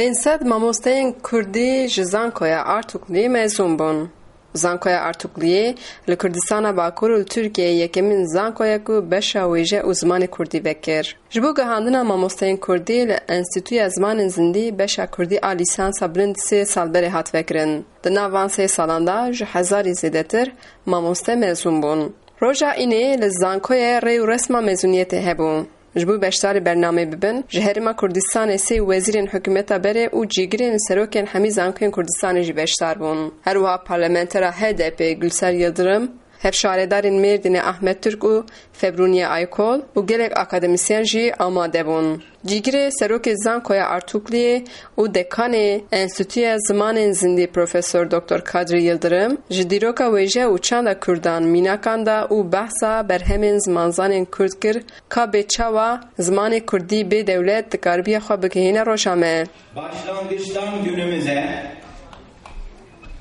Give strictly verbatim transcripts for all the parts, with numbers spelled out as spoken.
Pênc sed mamosteyên kurdî ji Zankoya Artukliyê mezûn bûn. Zankoya Artukliyê li Kurdistana Bakur û li Tirkiyeyê yekemîn zanko ye ku beşa wêje û zimanê kurdî vekir. Ji bo gihandina mamosteyên kurdî li Enstîtuya Zimanên Zindî beşa kurdî a lîsansa bilind sê sal berê hat vekirin. Di nav van sê salan de ji hezarî zêdetir mamoste mezûn bûn. Roja înê li zankoyê rê û resma mezûniyetê hebû. Ji bo beşdarî bernameyê bibin, ji Herêma Kurdistanê sê wezîrên hikûmeta berê û cîgirên serokên hemî zankoyên Kurdistanê jî beşdar bûn. Her wiha parlamentera H D P Gülser Yildirim, hevşaredarên Mêrdînê Ahmet Türk û Febrûniye Aykol û gelek akademîsyen jî amade bûn. Cîgirê serokê Zankoya Artukliyê û dekanê Enstîtuya Zimanên Zindî Profesor Doktor Kadri Yildirim ji dîroka wêje û çanda kurdan mînakan da û behsa berhemên zimanzanên kurd kir, ka bê çawa zimanê kurdî bê dewlet dikaribiya xwe bigihîne roja me. Başlangıçtan günümüze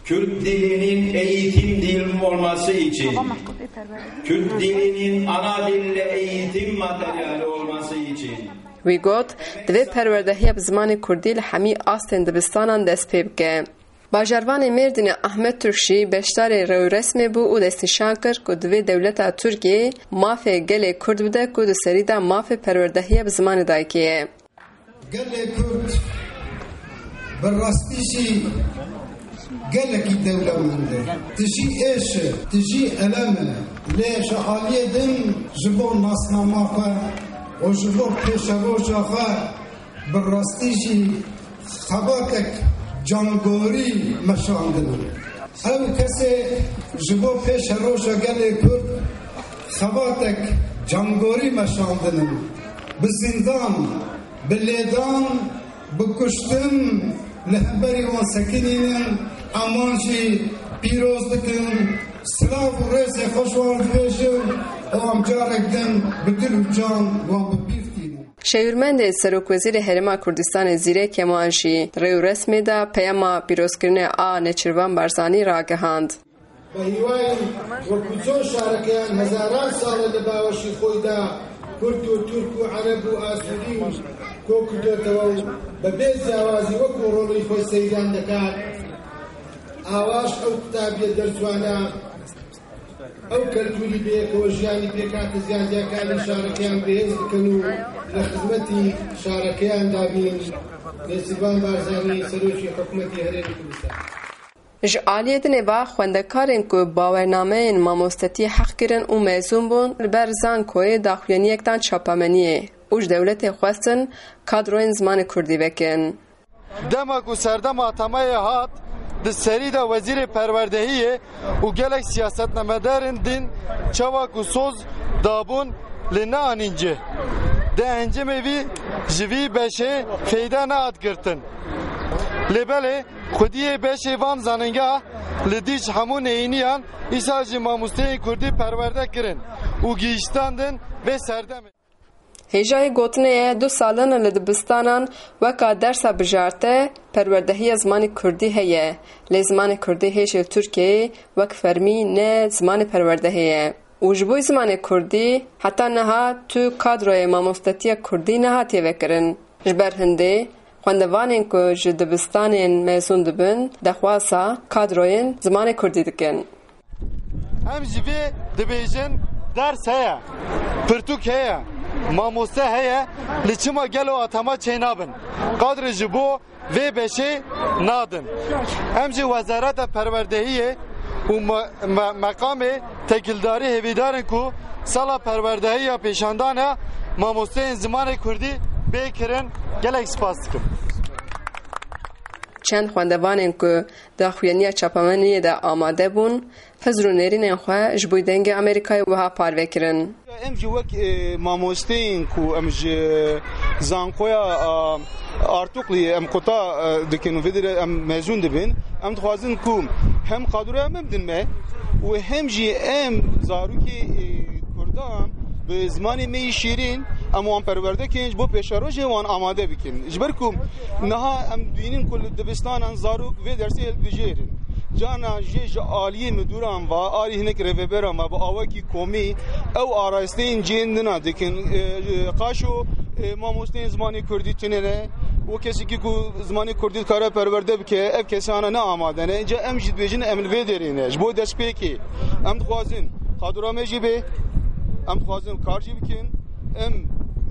Kürt dilinin eğitim dili olması için, Kürt dilinin ana dil ve eğitim materyali olması için, Wî got, divê perwerdehiya bi zimanê kurdî li hemî astên dibistanan dest pê bike. Bajarvanê Mêrdînê Ahmet Türk jî beşdarê rêwresmê bû û destnîşan kir ku divê dewleta Tirkiyê mafê gelê kurd bide ku di serî de mafê perwerdehiya bi zimanê dayikê ye. Gelê Kurd bi rastî jî gelekî dewlemend e. Tijî êş e, tijî elem e. Lê ji aliyê din ji bo nasnama xwe û ji bo pêşeroja xwe bi rastî jî xebatek cangorî meşandin. Ew kesê ji bo pêşeroja gelê Kurd xebatek cangorî meşandin. Bi zindan, bi lêdan, bi kuştin li hemberî wan sekinînin, em wan jî pîroz dikin, silav û rêzê xwe ji wan dibêjin û em carek din bi dil û can wan bi bîr tînin. Şêwirmendê Serokwezîrê Herêma Kurdistanê Zîrê Kemal jî di rê û resmê de peyama pîrozkirinê a Nêçîrvan Barzanî ragihand. بە هیوای وەکو چۆن شارەکەیان هەزاران ساڵە لە باوەشی خۆیدا کورد و تورک و عەرەب و ئاسووری و کۆ کردۆتەوە و بە بێ جیاوازی وەکو ڕۆڵی خۆی سەیران دەکات، ئاواش ئەو قوتابیە دەرچوانە ئەو کەلتوری بەیەکەوە ژیانی پێکاتە زیانجیاکانی شارەکەیان بەهێز بکەن و لە خزمەتی شارەکەیاندا بین. نێچیرڤان بارزانی، سەرۆکی حکوومەتی هەرێمی کوردستان. Ji aliyê dinê ve xwendekarên ku bawernameyên mamostetiyê heq kirin û mezûn bûn, li ber Zankoyê daxuyaniyek dan çapameniyê û ji dewletê xwestin kadroyên zimanê kurdî vekin. Dema ku serdema atameyê hat, di serî de wezîrê perwerdehiyê û gelek siyasetnamedarên din çawa ku soz dabûn, lê neanîn cih. Di encamê vî ji vî beşê feyde nehat girtin. Lê belê xwediyê beşê van zanîngeha li dî ji hemû neyîniyan îsal jî mamosteyên kurdî perwerde kirin û gihîştandin vê serdemê. Hêjayî gotinê ye, du sal in li dibistanan weka dersa bijarte perwerdehiya zimanê kurdî heye, lê zimanê kurdî hêj li Tirkiyeyê wek fermî ne zimanê perwerdehê ye û ji bo zimanê kurdî heta niha tu kadroyê mamostetiya kurdî nehatiye vekirin. Ji ber hindê xwendevanên ku ji dibistanên mezûn dibin, daxwaza kadroyên zimanê kurdî dikin. Em ji vê dibêjin, ders heye, pirtûk heye, mamoste heye, lê çima gelo atama çênabin? Qadrê ji bo vê beşê nadin. Em jî Wezareta Perwerdehiyê û me-, me-, meqamê têkildarî hêvîdar in ku sala perwerdehiya pêşandana mamosteyên zimanê kurdî bê kirin. Gelek spas dikim. Çend xwendevanên ku daxuyaniya çapemeniyê de amade bûn, hizr û nêrînên xwe ji bo Dengê Amerîkayê wiha parve kirin. Em jî wek, e, mamosteyên ku em ji zankoya, a, Artukliyê em quta, e, dikin û vê derê em mezûn dibin, em dixwazin ku hem kadroya me bidin me û hem jî em zarokê, e, kurdan bi zimanê me yî şîrîn, em wan perwerde kirin, ji bo pêşerojê wan amade bikin. Ji ber ku niha em dibînin ku li dibistanan zarok vê dersê hilbijêrin. Carna jê ji aliyê miduran ve, alî hinek rêveberan ve bi awekî komî ew arasteyên cihên din a dikin. E, e, qaşo, e, mamosteyên zimanê kurdî tune ne. Û kesekî ku zimanê kurdî dikare perwerde bike, ev kesana ne amade ne. Înca em jî dibêjin em li vê derê ne. Ji bo destpêkê em dixwazin qadro me jî bê, em dixwazin kar jî bikin. Em,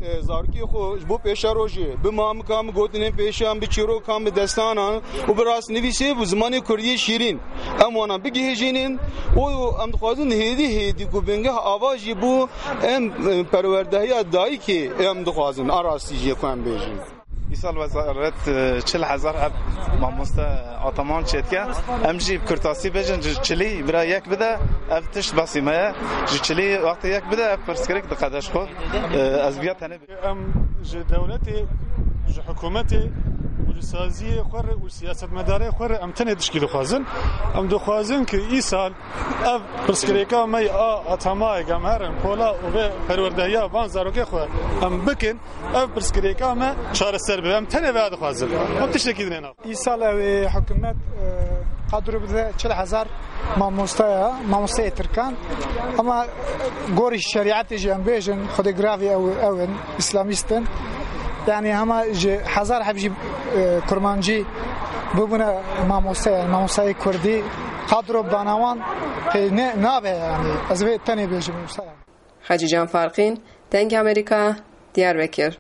e, zarokê xwe ji bo pêşerojê bi mamikan, bi gotinên pêşan, bi çîrokan, bi destanan û bi rastnivîsê bi zimanê kurdî şîrîn em wana bigihêjînin û em dixwazin hêdî hêdî ku bingeh ava jî bû em, e, perwerdehiya dayikê em dixwazin a rastî jî ku em bêjin. Îsal wezaret, e, çil hezar ev mamoste ataman çêdike. Em jî bi kurtasî bêjin, ji çilî bira yek bide, ev tişt basî me ye. Ji çilî wextê yek bide, ev pirsgirêk diqede ji xwe. E, ez viya tenê Em ji dewletê, ji hikûmetê û ji saziyê xwe re û siyasetmedarê xwe re em tenê tişkî dixwazin. Em dixwazin ku îsal ev pirsgirêka me ya atamayek em herin pola û vê perwerdehiya van zarokê xwe em bikin, ev pirsgirêka me çareser bibe. Em tenê vê dixwazin. Em tiştekî dinê nav. Îsal ew ê hikûmet, e, qadro bide çil hezar mamoste ya, mamosteyê tirkan. Ama gorî şerîetê jî em bêjin, xwedê giravî ew, ew in, îslamîst in. Yani hema ji hezar heb jî, e, kurmancî bibûne mamoste, yani mamosteyê kurdî qadro banawan pê ne, nabe yani. Ez vê tenê bêjim wisa. Hecî Can Farqîn, Dengê Amerîka, Diyarbekir.